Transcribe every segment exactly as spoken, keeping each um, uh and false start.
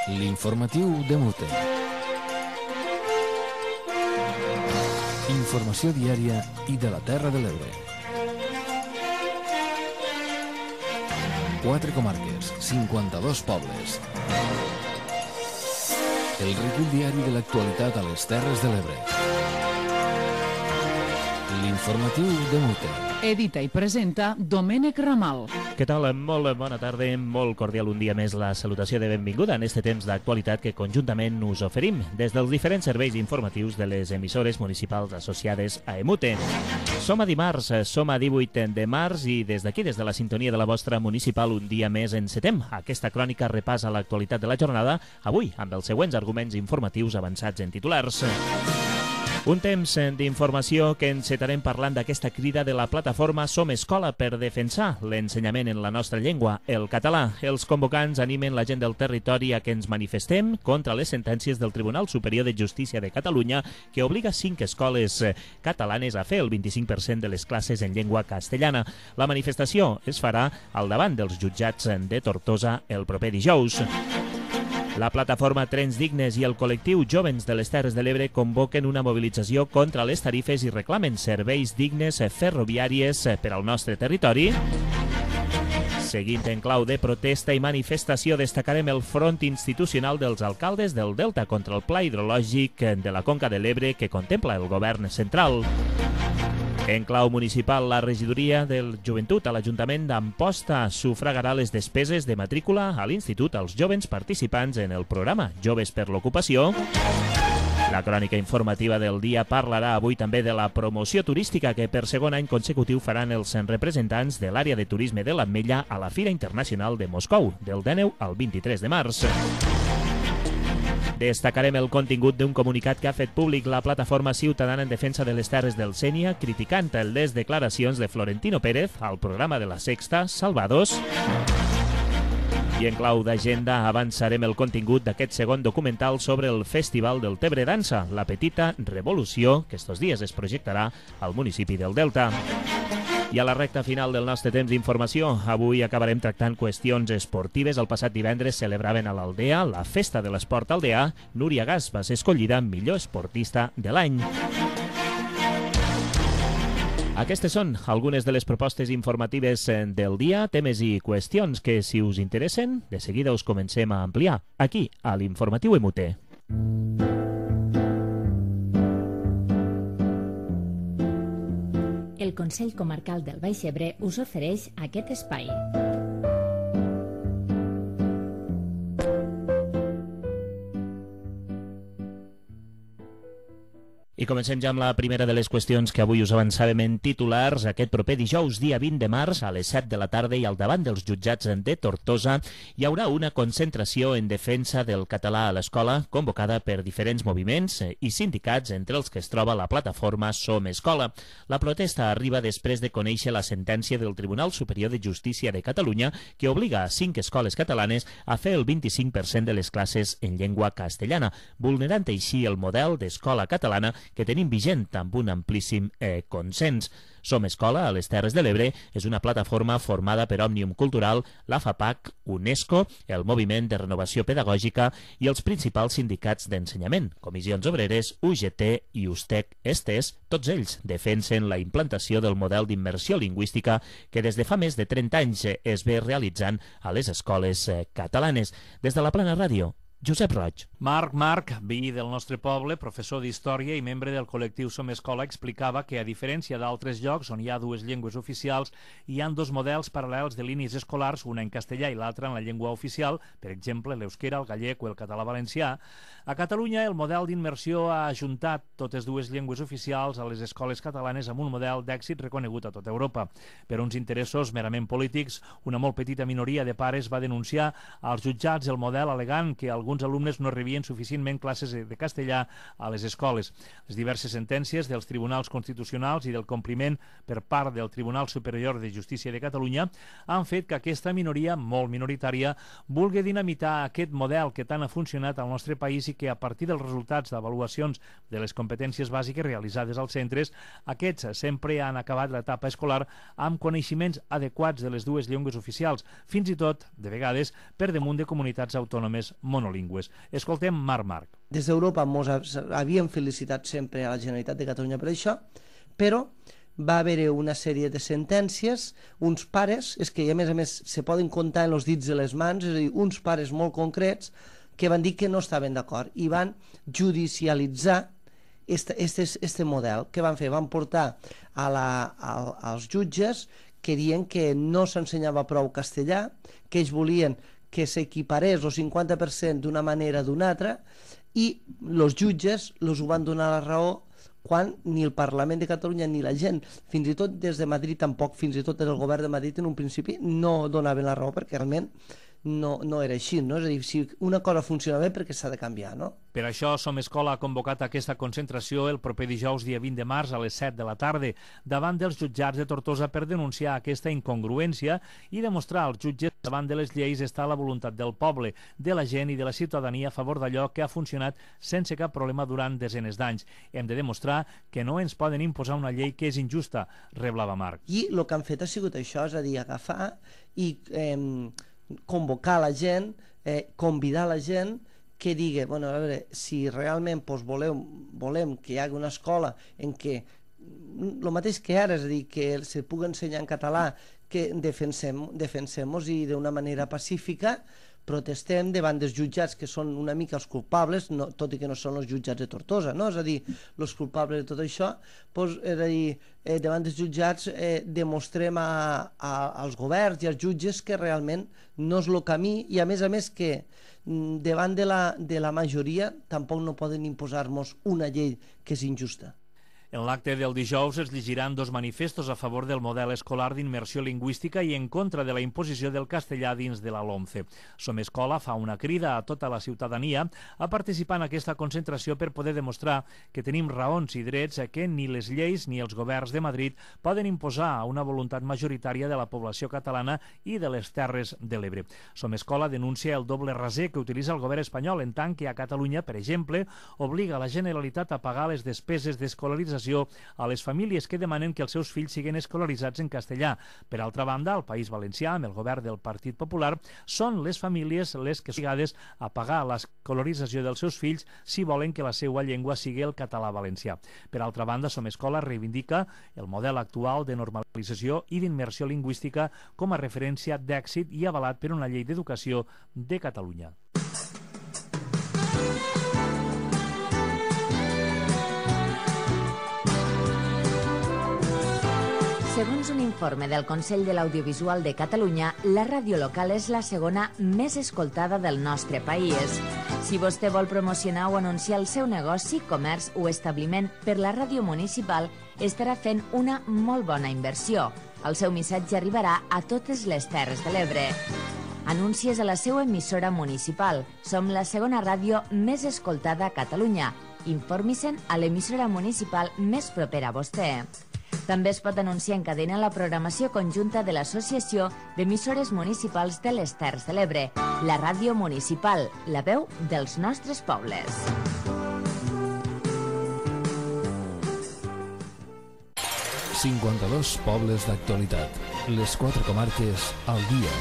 L'informatiu de Mute. Informació diària i de la Terra de l'Ebre. Quatre comarques, cinquanta-dos pobles. El recull diari de l'actualitat a les Terres de l'Ebre. L'informatiu de Mute. Edita i presenta Domènec Ramal. Què tal? Molt bona tarda, molt cordial un dia més la salutació de benvinguda en este temps d'actualitat que conjuntament us oferim des dels diferents serveis informatius de les emissores municipals associades a Emute. Som a dimarts, som a divuit de març i des d'aquí, des de la sintonia de la vostra municipal, un dia més encetem. Aquesta crònica repassa l'actualitat de la jornada, avui amb els següents arguments informatius avançats en titulars. Un temps d'informació que encetarem parlant d'aquesta crida de la plataforma Som Escola per defensar l'ensenyament en la nostra llengua, el català. Els convocants animen la gent del territori a que ens manifestem contra les sentències del Tribunal Superior de Justícia de Catalunya que obliga cinc escoles catalanes a fer el vint-i-cinc per cent de les classes en llengua castellana. La manifestació es farà al davant dels jutjats de Tortosa el proper dijous. La plataforma Trens Dignes i el col·lectiu Jóvens de les Terres de l'Ebre convoquen una mobilització contra les tarifes i reclamen serveis dignes ferroviàries per al nostre territori. Seguint en clau de protesta i manifestació, destacarem el front institucional dels alcaldes del Delta contra el pla hidrològic de la Conca de l'Ebre que contempla el govern central. En clau municipal, la regidoria del Joventut a l'Ajuntament d'Amposta sufragarà les despeses de matrícula a l'Institut als jovens participants en el programa Joves per l'Ocupació. La crònica informativa del dia parlarà avui també de la promoció turística que per segon any consecutiu faran els representants de l'àrea de turisme de l'Ametlla a la Fira Internacional de Moscou, del dinou al vint-i-tres de març. Destacarem el contingut d'un comunicat que ha fet públic la plataforma ciutadana en defensa de les terres del Sénia, criticant les declaracions de Florentino Pérez al programa de la Sexta, Salvados. I en clau d'agenda avançarem el contingut d'aquest segon documental sobre el Festival del Tebre Dansa, La Petita Revolució, que estos dies es projectarà al municipi del Delta. I a la recta final del nostre temps d'informació, avui acabarem tractant qüestions esportives. El passat divendres celebraven a l'Aldea la Festa de l'Esport Aldeà. Núria Gas va ser escollida millor esportista de l'any. Aquestes són algunes de les propostes informatives del dia, temes i qüestions que, si us interessen, de seguida us comencem a ampliar aquí, a l'Informatiu Emute. El Consell Comarcal del Baix Ebre us ofereix aquest espai. I comencem ja amb la primera de les qüestions que avui us avançàvem en titulars. Aquest proper dijous, dia vint de març, a les set de la tarda i al davant dels jutjats de Tortosa, hi haurà una concentració en defensa del català a l'escola, convocada per diferents moviments i sindicats, entre els que es troba la plataforma Som Escola. La protesta arriba després de conèixer la sentència del Tribunal Superior de Justícia de Catalunya que obliga a cinc escoles catalanes a fer el vint-i-cinc per cent de les classes en llengua castellana, vulnerant així el model d'escola catalana que tenim vigent amb un amplíssim eh, consens. Som Escola, a les Terres de l'Ebre, és una plataforma formada per Òmnium Cultural, la FAPAC, UNESCO, el Moviment de Renovació Pedagògica i els principals sindicats d'ensenyament, Comissions Obreres, U G T i USTEC Estes. Tots ells defensen la implantació del model d'immersió lingüística que des de fa més de trenta anys es ve realitzant a les escoles catalanes. Des de la Plana Ràdio, Josep Roig. Marc Marc, veí del nostre poble, professor d'Història i membre del col·lectiu Som Escola, explicava que, a diferència d'altres llocs on hi ha dues llengües oficials, hi ha dos models paral·lels de línies escolars, una en castellà i l'altra en la llengua oficial, per exemple, l'euskera, el gallec o el català valencià. A Catalunya, el model d'immersió ha ajuntat totes dues llengües oficials a les escoles catalanes amb un model d'èxit reconegut a tota Europa. Per uns interessos merament polítics, una molt petita minoria de pares va denunciar als jutjats el model alegant que alguns alguns alumnes no rebien suficientment classes de castellà a les escoles. Les diverses sentències dels tribunals constitucionals i del compliment per part del Tribunal Superior de Justícia de Catalunya han fet que aquesta minoria, molt minoritària, vulgui dinamitar aquest model que tant ha funcionat al nostre país i que, a partir dels resultats d'avaluacions de les competències bàsiques realitzades als centres, aquests sempre han acabat l'etapa escolar amb coneixements adequats de les dues llengües oficials, fins i tot, de vegades, per damunt de comunitats autònomes monolingües. bilingües. Escoltem Marc Marc. Des d'Europa ens havíem felicitat sempre a la Generalitat de Catalunya per això, però va haver una sèrie de sentències, uns pares, és que a més a més se poden comptar en els dits de les mans, és a dir, uns pares molt concrets que van dir que no estaven d'acord i van judicialitzar este, este, este model. Què van fer? Van portar a la, a, als jutges que diuen que no s'ensenyava prou castellà, que ells volien que s'equiparés el cinquanta per cent d'una manera o d'una altra, i els jutges els ho van donar la raó quan ni el Parlament de Catalunya ni la gent, fins i tot des de Madrid tampoc, fins i tot el govern de Madrid en un principi no donaven la raó perquè realment no, no era així, no? És a dir, si una cosa funciona bé perquè s'ha de canviar, no? Per això Som Escola ha convocat aquesta concentració el proper dijous dia vint de març a les set de la tarda davant dels jutjats de Tortosa per denunciar aquesta incongruència i demostrar als jutges que davant de les lleis està la voluntat del poble, de la gent i de la ciutadania a favor d'allò que ha funcionat sense cap problema durant desenes d'anys. Hem de demostrar que no ens poden imposar una llei que és injusta, reblava Marc. I el que han fet ha sigut això, és a dir, agafar i eh, convocar la gent, eh, convidar la gent que digui, bueno, a veure, si realment doncs, volem, volem que hi hagi una escola en què el mateix que ara, és a dir, que se pugui ensenyar en català, que defensem, defensem-nos i d'una manera pacífica protestem davant dels jutjats que són una mica els culpables, no, tot i que no són els jutjats de Tortosa, no? És a dir, els culpables de tot això, doncs, és a dir, eh, davant dels jutjats eh, demostrem a, a, als governs i als jutges que realment no és el camí i a més a més que davant de la, de la majoria tampoc no poden imposar-nos una llei que és injusta. En l'acte del dijous es llegiran dos manifestos a favor del model escolar d'immersió lingüística i en contra de la imposició del castellà dins de la LOMCE. Som Escola fa una crida a tota la ciutadania a participar en aquesta concentració per poder demostrar que tenim raons i drets que ni les lleis ni els governs de Madrid poden imposar a una voluntat majoritària de la població catalana i de les Terres de l'Ebre. Som Escola denuncia el doble raser que utilitza el govern espanyol en tant que a Catalunya, per exemple, obliga la Generalitat a pagar les despeses d'escolarització a les famílies que demanen que els seus fills siguin escolaritzats en castellà. Per altra banda, al País Valencià, amb el govern del Partit Popular, són les famílies les que són obligades a pagar l'escolarització dels seus fills si volen que la seva llengua sigui el català valencià. Per altra banda, Som Escola reivindica el model actual de normalització i d'immersió lingüística com a referència d'èxit i avalat per una llei d'educació de Catalunya. Segons un informe del Consell de l'Audiovisual de Catalunya, la ràdio local és la segona més escoltada del nostre país. Si vostè vol promocionar o anunciar el seu negoci, comerç o establiment per la ràdio municipal, estarà fent una molt bona inversió. El seu missatge arribarà a totes les Terres de l'Ebre. Anuncies a la seva emissora municipal. Som la segona ràdio més escoltada a Catalunya. Informi-se'n a l'emissora municipal més propera a vostè. També es pot anunciar en cadena la programació conjunta de l'Associació d'Emissores Municipals de les Terres de l'Ebre, la ràdio municipal, la veu dels nostres pobles. cinquanta-dos pobles d'actualitat. Les quatre comarques al dia.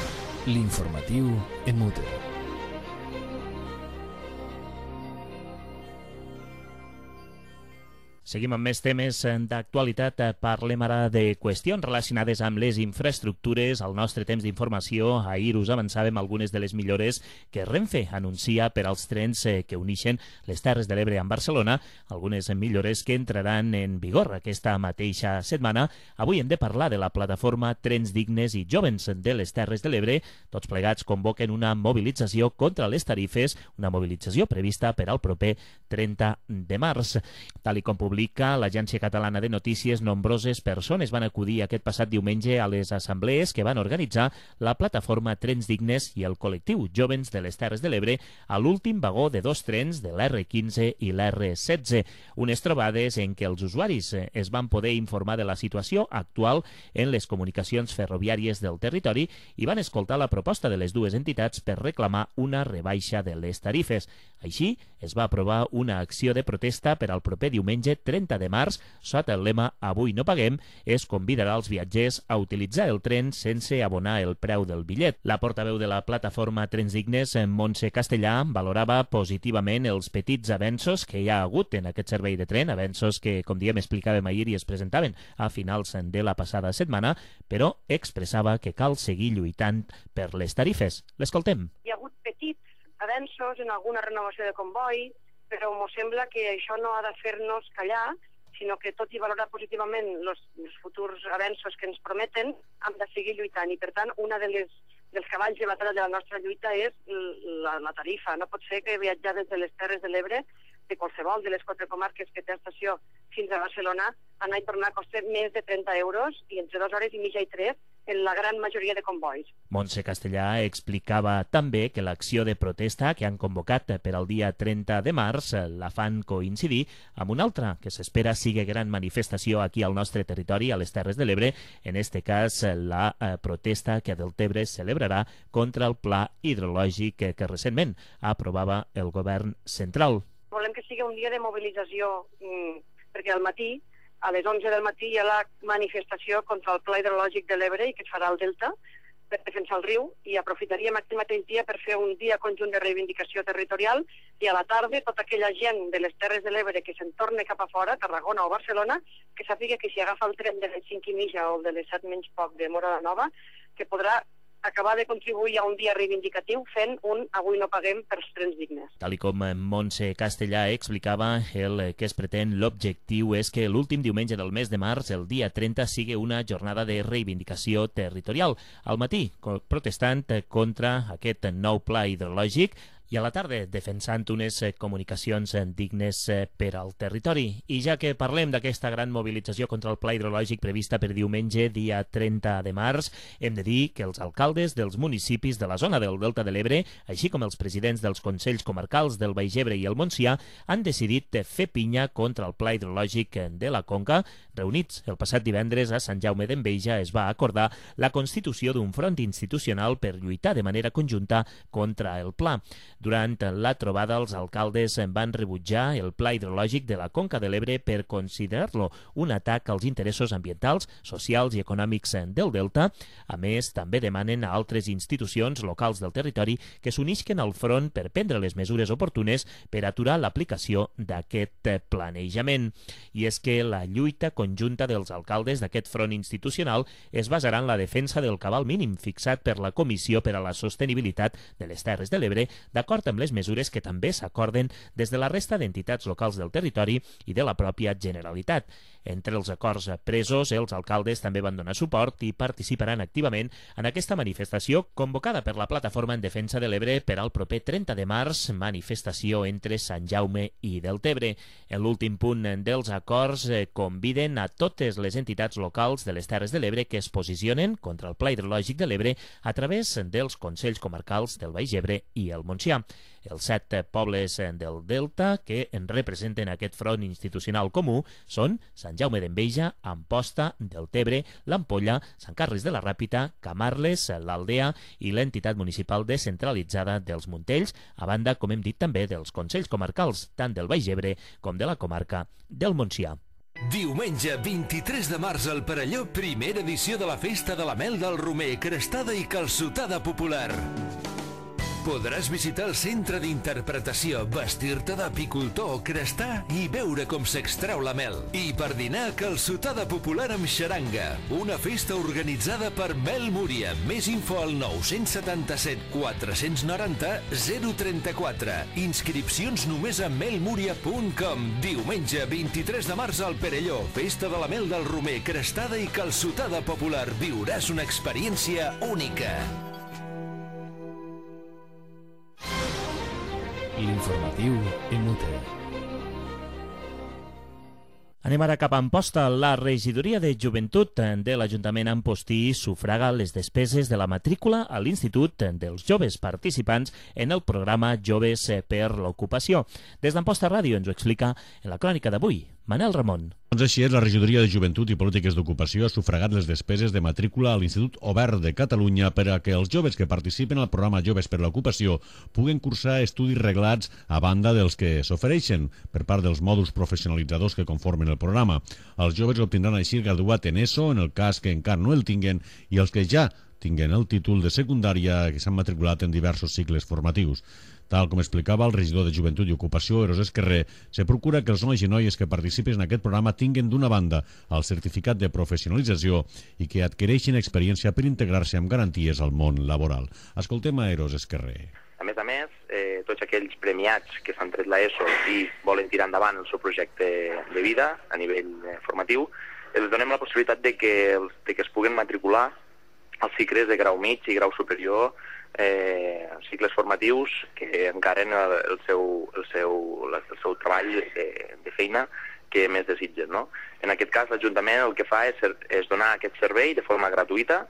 L'informatiu en Mute. Seguim amb més temes d'actualitat. Parlem ara de qüestions relacionades amb les infraestructures. Al nostre temps d'informació, ahir us avançàvem algunes de les millores que Renfe anuncia per als trens que unixen les Terres de l'Ebre amb Barcelona, algunes millores que entraran en vigor aquesta mateixa setmana. Avui hem de parlar de la plataforma Trens Dignes i Jovens de les Terres de l'Ebre. Tots plegats convoquen una mobilització contra les tarifes, una mobilització prevista per al proper trenta de març. Tal i com publica l'Agència Catalana de Notícies, nombroses persones van acudir aquest passat diumenge a les assemblees que van organitzar la plataforma Trens Dignes i el col·lectiu Jovens de les Terres de l'Ebre a l'últim vagó de dos trens de l'R quinze i l'R setze. Unes trobades en què els usuaris es van poder informar de la situació actual en les comunicacions ferroviàries del territori i van escoltar la proposta de les dues entitats per reclamar una rebaixa de les tarifes. Així, es va aprovar una acció de protesta per al proper diumenge trenta de març, sota el lema Avui no paguem, es convidarà els viatgers a utilitzar el tren sense abonar el preu del bitllet. La portaveu de la plataforma Trens Dignes, Montse Castellà, valorava positivament els petits avenços que hi ha hagut en aquest servei de tren, avenços que, com diem, explicàvem ahir i es presentaven a finals de la passada setmana, però expressava que cal seguir lluitant per les tarifes. L'escoltem. Hi ha hagut petits avenços en alguna renovació de comboi, però m'ho sembla que això no ha de fer-nos callar, sinó que tot i valorar positivament els futurs avenços que ens prometen, hem de seguir lluitant. I, per tant, una de les, dels cavalls de batalla de la nostra lluita és la, la tarifa. No pot ser que viatjar des de les Terres de l'Ebre, de qualsevol de les quatre comarques que té estació fins a Barcelona, anar i tornar costa més de trenta euros i entre dues hores i mitja i tres en la gran majoria de convois. Montse Castellà explicava també que l'acció de protesta que han convocat per al dia trenta de març la fan coincidir amb una altra que s'espera sigui gran manifestació aquí al nostre territori, a les Terres de l'Ebre, en este cas la eh, protesta que a Deltebre celebrarà contra el pla hidrològic que, que recentment aprovava el govern central. Volem que sigui un dia de mobilització, mmm, perquè al matí, a les onze del matí, hi ha la manifestació contra el pla hidrològic de l'Ebre i que es farà al Delta per defensar el riu, i aprofitaríem aquest mateix dia per fer un dia conjunt de reivindicació territorial, i a la tarda tota aquella gent de les Terres de l'Ebre que se'n torna cap a fora, Tarragona o Barcelona, que sàpiga que si agafa el tren de les cinc i mitja o el de les set menys poc de Móra la Nova, que podrà acabar de contribuir a un dia reivindicatiu fent un Avui no paguem per trens dignes. Tal i com Montse Castellà explicava, el que es pretén, l'objectiu és que l'últim diumenge del mes de març, el dia trenta, sigui una jornada de reivindicació territorial. Al matí, protestant contra aquest nou pla hidrològic, i a la tarda defensant unes comunicacions dignes per al territori. I ja que parlem d'aquesta gran mobilització contra el pla hidrològic prevista per diumenge, dia trenta de març, hem de dir que els alcaldes dels municipis de la zona del Delta de l'Ebre, així com els presidents dels consells comarcals del Baix Ebre i el Montsià, han decidit fer pinya contra el pla hidrològic de la Conca. Reunits el passat divendres a Sant Jaume d'Enveja, es va acordar la constitució d'un front institucional per lluitar de manera conjunta contra el pla. Durant la trobada, els alcaldes van rebutjar el pla hidrològic de la Conca de l'Ebre per considerar-lo un atac als interessos ambientals, socials i econòmics del Delta. A més, també demanen a altres institucions locals del territori que s'unisquen al front per prendre les mesures oportunes per aturar l'aplicació d'aquest planejament. I és que la lluita conjunta dels alcaldes d'aquest front institucional es basarà en la defensa del cabal mínim fixat per la Comissió per a la Sostenibilitat de les Terres de l'Ebre, d'acord amb les mesures que també s'acorden des de la resta d'entitats locals del territori i de la pròpia Generalitat. Entre els acords presos, els alcaldes també van donar suport i participaran activament en aquesta manifestació convocada per la Plataforma en Defensa de l'Ebre per al proper trenta de març, manifestació entre Sant Jaume i Deltebre. En l'últim punt dels acords conviden a totes les entitats locals de les Terres de l'Ebre que es posicionen contra el pla hidrològic de l'Ebre a través dels consells comarcals del Baix Ebre i el Montsià. Els set pobles del Delta que en representen aquest front institucional comú són Sant Jaume d'Enveja, Amposta, Deltebre, l'Ampolla, Sant Carles de la Ràpita, Camarles, l'Aldea i l'entitat municipal descentralitzada dels Montells, a banda, com hem dit, també dels consells comarcals, tant del Baix Ebre com de la comarca del Montsià. Diumenge vint-i-tres de març al Perelló, primera edició de la Festa de la Mel del Romer, crestada i calçotada popular. Podràs visitar el centre d'interpretació, vestir-te d'apicultor, crestar i veure com s'extreu la mel. I per dinar, calçotada popular amb xaranga. Una festa organitzada per Mel Múria. Més info al nou setanta-set quatre noranta zero trenta-quatre. Inscripcions només a melmuria punt com. Diumenge vint-i-tres de març al Perelló. Festa de la Mel del Romer, crestada i calçotada popular. Viuràs una experiència única. L'informatiu Emute. Anem ara cap a Amposta. La regidoria de joventut de l'Ajuntament Ampostí sufraga les despeses de la matrícula a l'Institut dels joves participants en el programa Joves per l'Ocupació. Des d'Amposta Ràdio ens ho explica en la crònica d'avui Manel Ramon. Doncs així és, la Regidoria de Joventut i Polítiques d'Ocupació ha sufragat les despeses de matrícula a l'Institut Obert de Catalunya per a que els joves que participen al programa Joves per l'Ocupació puguen cursar estudis reglats a banda dels que s'ofereixen per part dels mòduls professionalitzadors que conformen el programa. Els joves obtindran així el graduat en ESO, en el cas que encara no el tinguen, i els que ja tinguen el títol de secundària que s'han matriculat en diversos cicles formatius. Tal com explicava el regidor de Joventut i Ocupació, Eros Esquerrer, se procura que els nois i noies que participin en aquest programa tinguen d'una banda el certificat de professionalització i que adquireixin experiència per integrar-se amb garanties al món laboral. Escoltem a Eros Esquerrer. A més a més, eh, tots aquells premiats que s'han tret l'ESO i volen tirar endavant el seu projecte de vida a nivell eh, formatiu, els donem la possibilitat de que, els, de que es puguen matricular als cicles de grau mig i grau superior, eh, cicles formatius que encaren el, el, seu, el, seu, el seu treball de, de feina que més desitgen, no? En aquest cas, l'Ajuntament el que fa és, és donar aquest servei de forma gratuïta,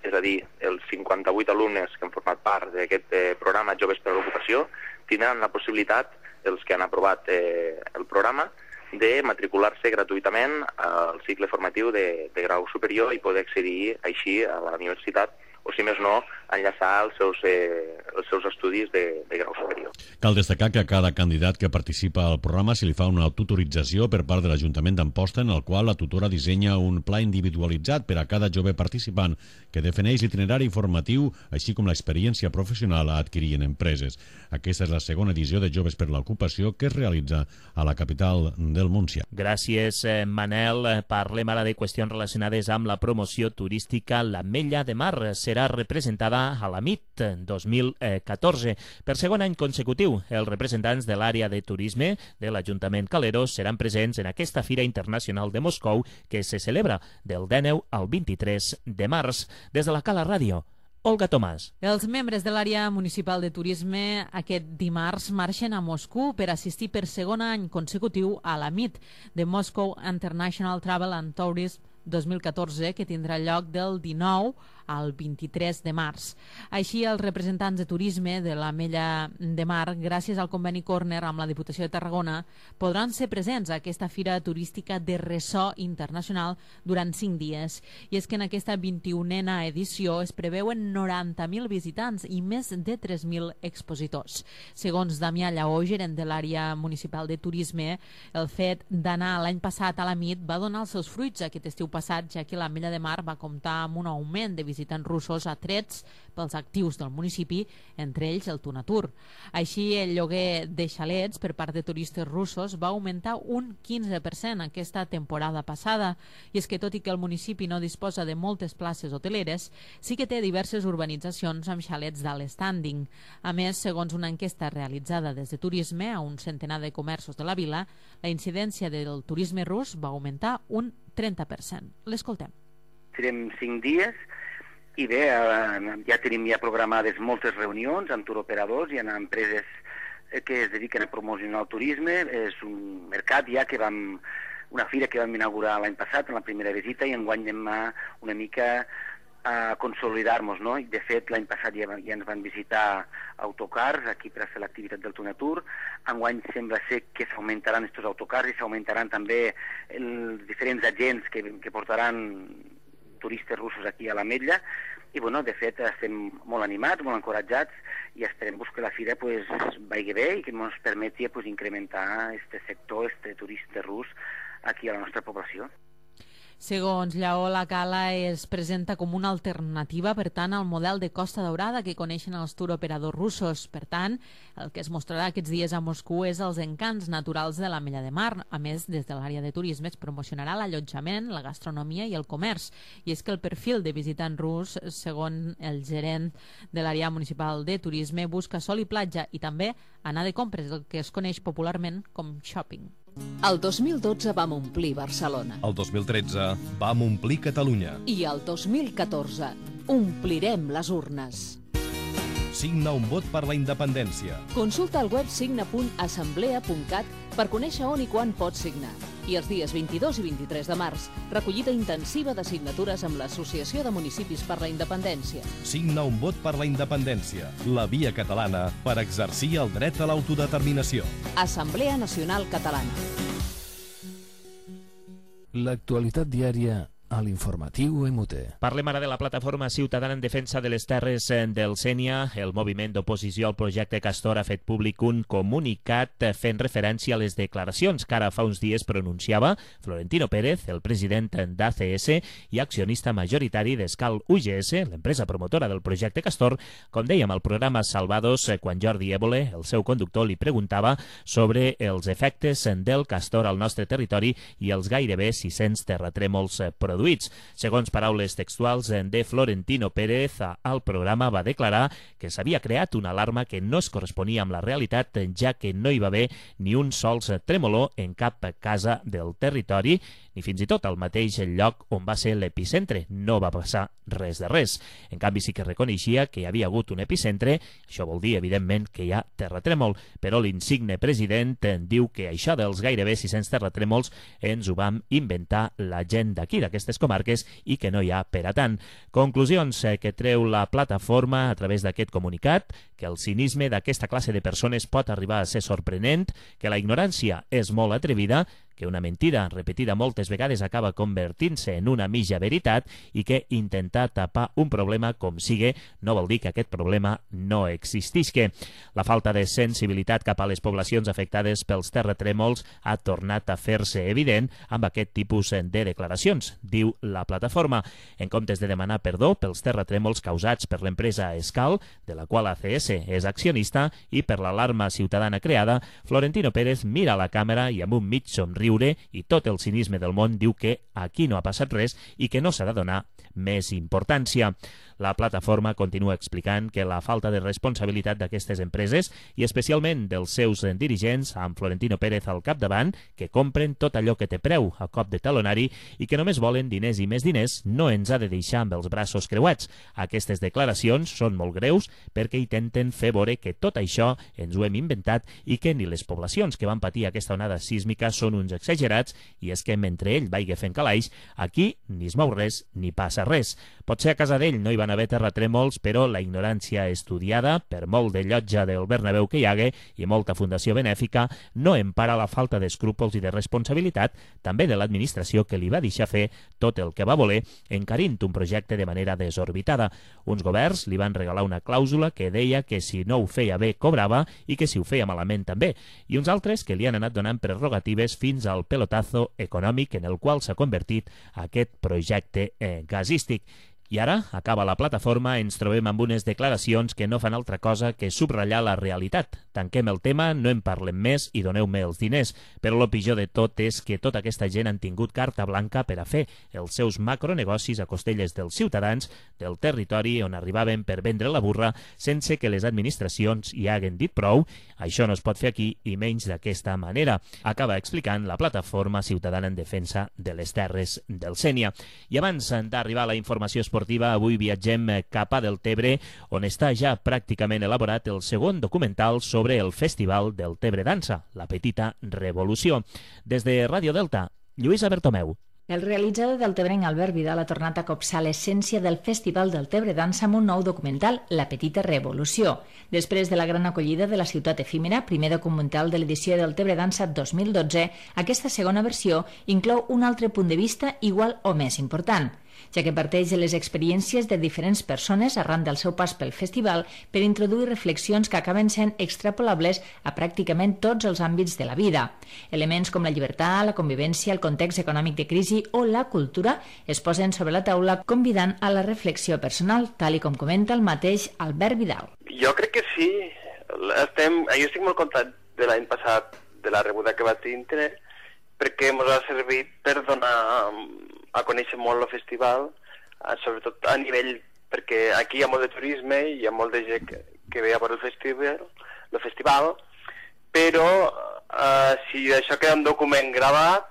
és a dir, els cinquanta-vuit alumnes que han format part d'aquest eh, programa Joves per l'Ocupació tindran la possibilitat, els que han aprovat eh, el programa, de matricular-se gratuïtament al cicle formatiu de, de grau superior i poder accedir així a la universitat o, si més no, enllaçar els seus, eh, els seus estudis de, de grau superior. Cal destacar que a cada candidat que participa al programa se li fa una tutorització per part de l'Ajuntament d'Amposta, en el qual la tutora dissenya un pla individualitzat per a cada jove participant que defineix l'itinerari informatiu, així com l'experiència professional a adquirir en empreses. Aquesta és la segona edició de Joves per l'Ocupació que es realitza a la capital del Montsià. Gràcies, Manel. Parlem ara de qüestions relacionades amb la promoció turística. L'Ametlla de Mar serà representada a la M I T dos mil catorze. Per segon any consecutiu, els representants de l'àrea de turisme de l'Ajuntament Calero seran presents en aquesta Fira Internacional de Moscou que se celebra del dinou al vint-i-tres de març. Des de la Cala Ràdio, Olga Tomàs. Els membres de l'àrea municipal de turisme aquest dimarts marxen a Moscou per assistir per segon any consecutiu a la M I T, de Moscow International Travel and Tourism dos mil catorze, que tindrà lloc del dinou al vint-i-tres de març. Així, els representants de turisme de l'Ametlla de Mar, gràcies al conveni Corner amb la Diputació de Tarragona, podran ser presents a aquesta fira turística de ressò internacional durant cinc dies. I és que en aquesta vint-i-unena edició es preveuen noranta mil visitants i més de tres mil expositors. Segons Damià Lleó, gerent de l'àrea municipal de turisme, el fet d'anar l'any passat a la M I T va donar els seus fruits aquest estiu passat, ja que l'Ametlla de Mar va comptar amb un augment de visitants russos atrets pels actius del municipi, entre ells el Tunatur. Així, el lloguer de xalets per part de turistes russos va augmentar un quinze per cent aquesta temporada passada. I és que, tot i que el municipi no disposa de moltes places hoteleres, sí que té diverses urbanitzacions amb xalets d'alt standing. A més, segons una enquesta realitzada des de Turisme a un centenar de comerços de la vila, la incidència del turisme rus va augmentar un trenta per cent. L'escoltem. Serem cinc dies i bé, ja tenim ja programades moltes reunions amb turoperadors i amb empreses que es dediquen a promocionar el turisme. És un mercat ja que vam, una fira que vam inaugurar l'any passat en la primera visita i enguany anem a una mica a consolidar-nos, no? I de fet l'any passat ja, ja ens van visitar autocars aquí per a fer l'activitat del Tunatur. Enguany sembla ser que s'augmentaran aquests autocars i s'augmentaran també els diferents agents que, que portaran turistes russos aquí a l'Ametlla. I bueno, de fet estem molt animats, molt encoratjats i esperem pues, que la fira pues, vagi bé i que ens permeti pues, incrementar este sector, este turista rus aquí a la nostra població. Segons Lleó, la Cala es presenta com una alternativa, per tant, al model de Costa Daurada que coneixen els turoperadors russos. Per tant, el que es mostrarà aquests dies a Moscou és els encants naturals de l'Ametlla de Mar. A més, des de l'àrea de turisme es promocionarà l'allotjament, la gastronomia i el comerç. I és que el perfil de visitant rus, segons el gerent de l'àrea municipal de turisme, busca sol i platja i també anar de compres, el que es coneix popularment com shopping. El dos mil dotze vam omplir Barcelona. El dos mil tretze vam omplir Catalunya. I el dos mil catorze omplirem les urnes. Signa un vot per la independència. Consulta el web signa punt assemblea punt cat per conèixer on i quan pots signar. I els dies vint-i-dos i vint-i-tres de març, recollida intensiva de signatures amb l'Associació de Municipis per la Independència. Signa un vot per la independència, la via catalana per exercir el dret a l'autodeterminació. Assemblea Nacional Catalana. L'actualitat diària a l'informatiu E M U T. Parlem ara de la plataforma ciutadana en defensa de les terres del Sénia. El moviment d'oposició al projecte Castor ha fet públic un comunicat fent referència a les declaracions que ara fa uns dies pronunciava Florentino Pérez, el president d'A C S i accionista majoritari d'Escal U G S, l'empresa promotora del projecte Castor, com dèiem al programa Salvados, quan Jordi Évole, el seu conductor, li preguntava sobre els efectes del Castor al nostre territori i els gairebé sis-cents terratrèmols produïts. Segons paraules textuals de Florentino Pérez, al programa va declarar que s'havia creat una alarma que no es corresponia amb la realitat, ja que no hi va haver ni un sols tremolor en cap casa del territori, ni fins i tot al mateix lloc on va ser l'epicentre. No va passar res de res. En canvi, sí que reconeixia que hi havia hagut un epicentre. Això vol dir, evidentment, que hi ha terratrèmol, però l'insigne president diu que això dels gairebé sis-cents terratrèmols ens ho vam inventar la gent d'aquí, d'aquestes comarques, i que no hi ha per a tant. Conclusions que treu la plataforma a través d'aquest comunicat: que el cinisme d'aquesta classe de persones pot arribar a ser sorprenent, que la ignorància és molt atrevida, que una mentida repetida moltes vegades acaba convertint-se en una mitja veritat i que intentar tapar un problema com sigue no vol dir que aquest problema no existisca. La falta de sensibilitat cap a les poblacions afectades pels terratrèmols ha tornat a fer-se evident amb aquest tipus de declaracions, diu la plataforma. En comptes de demanar perdó pels terratrèmols causats per l'empresa Escal, de la qual A C S és accionista, i per l'alarma ciutadana creada, Florentino Pérez mira a la càmera i amb un mig somriure i tot el cinisme del món diu que aquí no ha passat res i que no s'ha de donar més importància. La plataforma continua explicant que la falta de responsabilitat d'aquestes empreses i especialment dels seus dirigents, amb Florentino Pérez al capdavant, que compren tot allò que té preu a cop de talonari i que només volen diners i més diners, no ens ha de deixar amb els braços creuats. Aquestes declaracions són molt greus perquè intenten fer veure que tot això ens ho hem inventat i que ni les poblacions que van patir aquesta onada sísmica són uns exagerats, i és que mentre ell vagi fent calaix, aquí ni es mou res ni passa res. Potser a casa d'ell no hi van haver terratrèmols, però la ignorància estudiada, per molt de llotja del Bernabéu que hi hagué i molta fundació benèfica, no empara la falta d'escrúpols i de responsabilitat, també de l'administració, que li va deixar fer tot el que va voler, encarint un projecte de manera desorbitada. Uns governs li van regalar una clàusula que deia que si no ho feia bé cobrava i que si ho feia malament també, i uns altres que li han anat donant prerrogatives fins al pelotazo econòmic en el qual s'ha convertit aquest projecte eh, gasístic. I ara, acaba la plataforma, ens trobem amb unes declaracions que no fan altra cosa que subratllar la realitat. Tanquem el tema, no en parlem més i doneu-me els diners. Però el pitjor de tot és que tota aquesta gent han tingut carta blanca per a fer els seus macronegocis a costelles dels ciutadans del territori on arribaven per vendre la burra sense que les administracions hi haguen dit prou. Això no es pot fer aquí i menys d'aquesta manera. Acaba explicant la plataforma ciutadana en defensa de les terres del Sénia. I abans d'arribar a la informació esportiva, avui viatgem cap a Deltebre, on està ja pràcticament elaborat el segon documental sobre el Festival Deltebre Dansa, La Petita Revolució. Des de Ràdio Delta, Lluïsa Bertomeu. El realitzador deltebrenc Albert Vidal ha tornat a copsar l'essència del Festival Deltebre Dansa amb un nou documental, La Petita Revolució. Després de la gran acollida de La Ciutat Efímera, primer documental de l'edició Deltebre Dansa dos mil dotze, aquesta segona versió inclou un altre punt de vista igual o més important, ja que parteix de les experiències de diferents persones arran del seu pas pel festival per introduir reflexions que acaben sent extrapolables a pràcticament tots els àmbits de la vida. Elements com la llibertat, la convivència, el context econòmic de crisi o la cultura es posen sobre la taula convidant a la reflexió personal, tal i com comenta el mateix Albert Vidal. Jo crec que sí. Estem, jo estic molt content de l'any passat, de la rebuda que va tindre, perquè ens ha servit per donar a conèixer molt el festival, sobretot a nivell, perquè aquí hi ha molt de turisme i hi ha molt de gent que, que ve a veure el festival, el festival, però eh, si això queda un document gravat,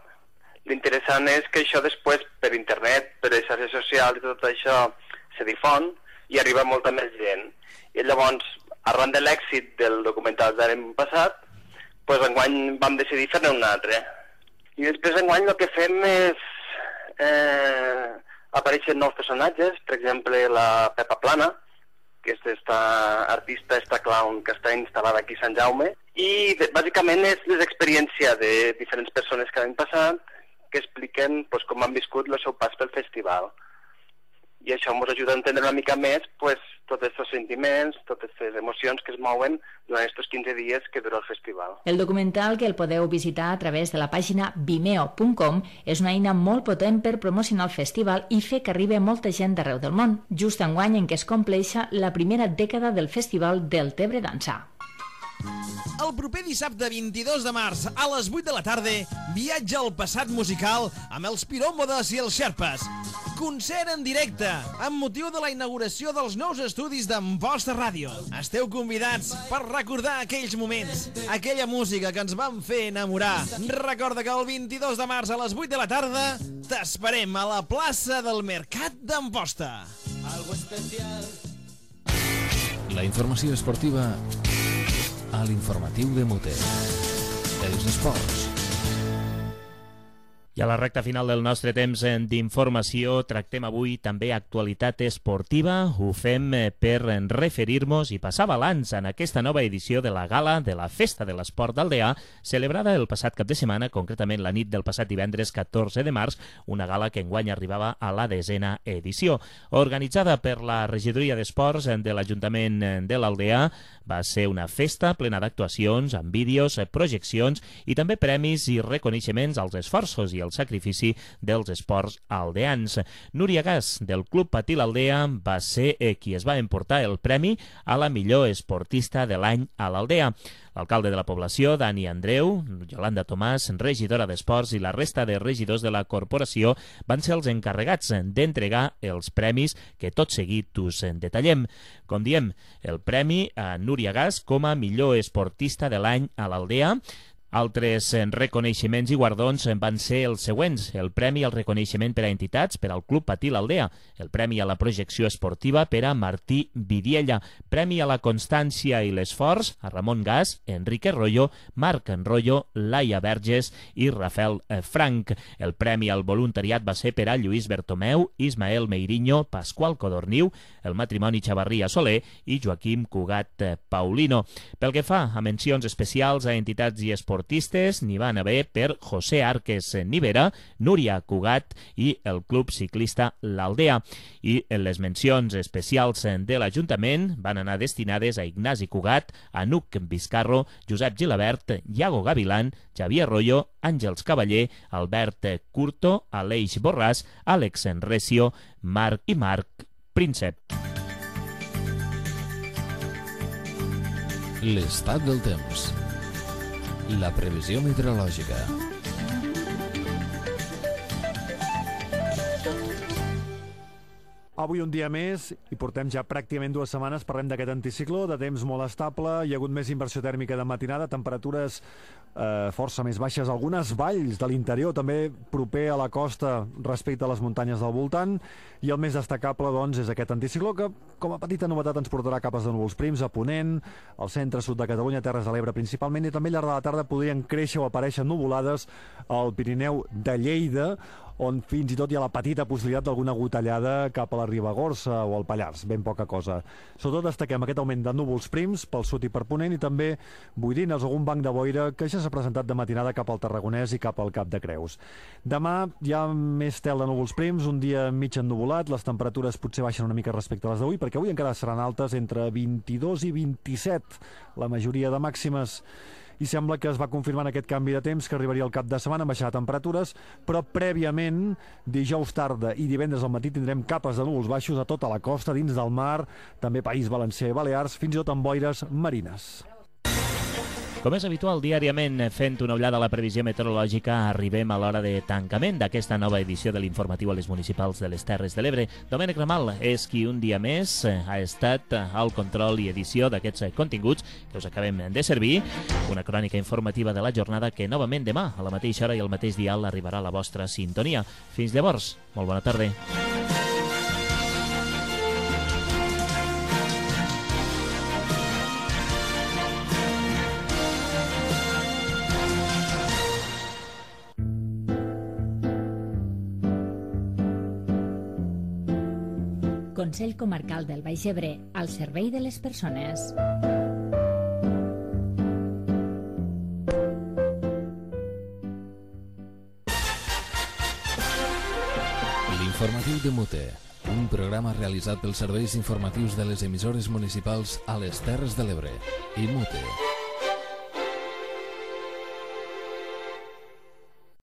l'interessant és que això després per internet, per les xarxes socials i tot això se difon i arriba molta més gent. I llavors, arran de l'èxit del documental de l'any passat, doncs enguany vam decidir fer-ne un altre. I després enguany el que fem és eh, apareixen nous personatges, per exemple la Pepa Plana, que és esta artista, esta clown que està instal·lada aquí a Sant Jaume, i de, bàsicament és l'experiència de diferents persones que han passat, que expliquen pues, com han viscut el seu pas pel festival. I això ens ajuda a entendre una mica més pues, tots aquests sentiments, totes aquestes emocions que es mouen durant aquests quinze dies que dura el festival. El documental, que el podeu visitar a través de la pàgina vimeo punt com, és una eina molt potent per promocionar el festival i fer que arribi molta gent d'arreu del món, just enguany en què es compleixa la primera dècada del Festival del Tebre Dansà. El proper dissabte vint-i-dos de març a les vuit de la tarda viatja al passat musical amb els Piròmodes i els Xerpes. Concert en directe amb motiu de la inauguració dels nous estudis d'Amposta Ràdio. Esteu convidats per recordar aquells moments, aquella música que ens van fer enamorar. Recorda que el vint-i-dos de març a les vuit de la tarda t'esperem a la plaça del Mercat d'Amposta. Algo especial. La informació esportiva a l'informatiu de Mute. Els esports. I a la recta final del nostre temps d'informació tractem avui també actualitat esportiva. Ho fem per referir-nos i passar balanç en aquesta nova edició de la gala de la Festa de l'Esport d'Aldea, celebrada el passat cap de setmana, concretament la nit del passat divendres catorze de març, una gala que enguany arribava a la desena edició. Organitzada per la Regidoria d'Esports de l'Ajuntament de l'Aldea, va ser una festa plena d'actuacions, amb vídeos, projeccions i també premis i reconeixements als esforços i el sacrifici dels esports aldeans. Núria Gas, del Club Patí l'Aldea, va ser qui es va emportar el premi a la millor esportista de l'any a l'Aldea. L'alcalde de la població, Dani Andreu, Yolanda Tomàs, regidora d'Esports i la resta de regidors de la corporació van ser els encarregats d'entregar els premis que tot seguit us detallem. Com diem, el premi a Núria Gas com a millor esportista de l'any a l'Aldea. Altres reconeixements i guardons van ser els següents: el Premi al Reconeixement per a Entitats per al Club Patí l'Aldea, el Premi a la Projecció Esportiva per a Martí Vidiella, Premi a la Constància i l'Esforç a Ramon Gas, Enrique Rollo, Marc Rollo, Laia Verges i Rafael Frank. El Premi al Voluntariat va ser per a Lluís Bertomeu, Ismael Meiriño, Pasqual Codorniu, el matrimoni Xavarria Soler i Joaquim Cugat Paulino. Pel que fa a mencions especials a entitats i esportistes, n'hi van haver per José Arques Nivera, Núria Cugat i el Club Ciclista l'Aldea. I les mencions especials de l'Ajuntament van anar destinades a Ignasi Cugat, Anuc Vizcarro, Josep Gilabert, Iago Gavilán, Xavier Rollo, Àngels Cavaller, Albert Curto, Aleix Borràs, Àlex Recio, Marc i Marc Príncep. L'estat del temps. La previsió meteorològica. Avui un dia més, i portem ja pràcticament dues setmanes, parlem d'aquest anticicló, de temps molt estable, hi ha hagut més inversió tèrmica de matinada, temperatures eh, força més baixes, algunes valls de l'interior, també proper a la costa respecte a les muntanyes del voltant, i el més destacable, doncs, és aquest anticicló que, com a petita novetat, ens portarà capes de núvols prims a Ponent, al centre-sud de Catalunya, Terres de l'Ebre principalment, i també al llarg de la tarda podrien créixer o aparèixer nuvolades al Pirineu de Lleida, on fins i tot hi ha la petita possibilitat d'alguna gotellada cap a la Ribagorça o al Pallars, ben poca cosa. Sobretot destaquem aquest augment de núvols prims pel sud i per Ponent i també boirines, algun banc de boira que ja s'ha presentat de matinada cap al Tarragonès i cap al Cap de Creus. Demà hi ha més tel de núvols prims, un dia mig ennuvolat, les temperatures potser baixen una mica respecte a les d'avui, perquè avui encara seran altes entre vint-i-dos i vint-i-set, la majoria de màximes, i sembla que es va confirmant aquest canvi de temps que arribaria al cap de setmana amb baixar temperatures, però prèviament, dijous tarda i divendres al matí tindrem capes de núvols baixos a tota la costa, dins del mar, també País Valencià i Balears, fins i tot amb boires marines. Com és habitual, diàriament, fent una ullada a la previsió meteorològica, arribem a l'hora de tancament d'aquesta nova edició de l'informatiu a les municipals de les Terres de l'Ebre. Domènec Ramal és qui un dia més ha estat al control i edició d'aquests continguts que us acabem de servir. Una crònica informativa de la jornada que novament demà, a la mateixa hora i al mateix dial, arribarà a la vostra sintonia. Fins llavors, molt bona tarda. Consell Comarcal del Baix Ebre, al servei de les persones. L'informatiu de Mute, un programa realitzat pels serveis informatius de les emissores municipals a les Terres de l'Ebre. I Mute.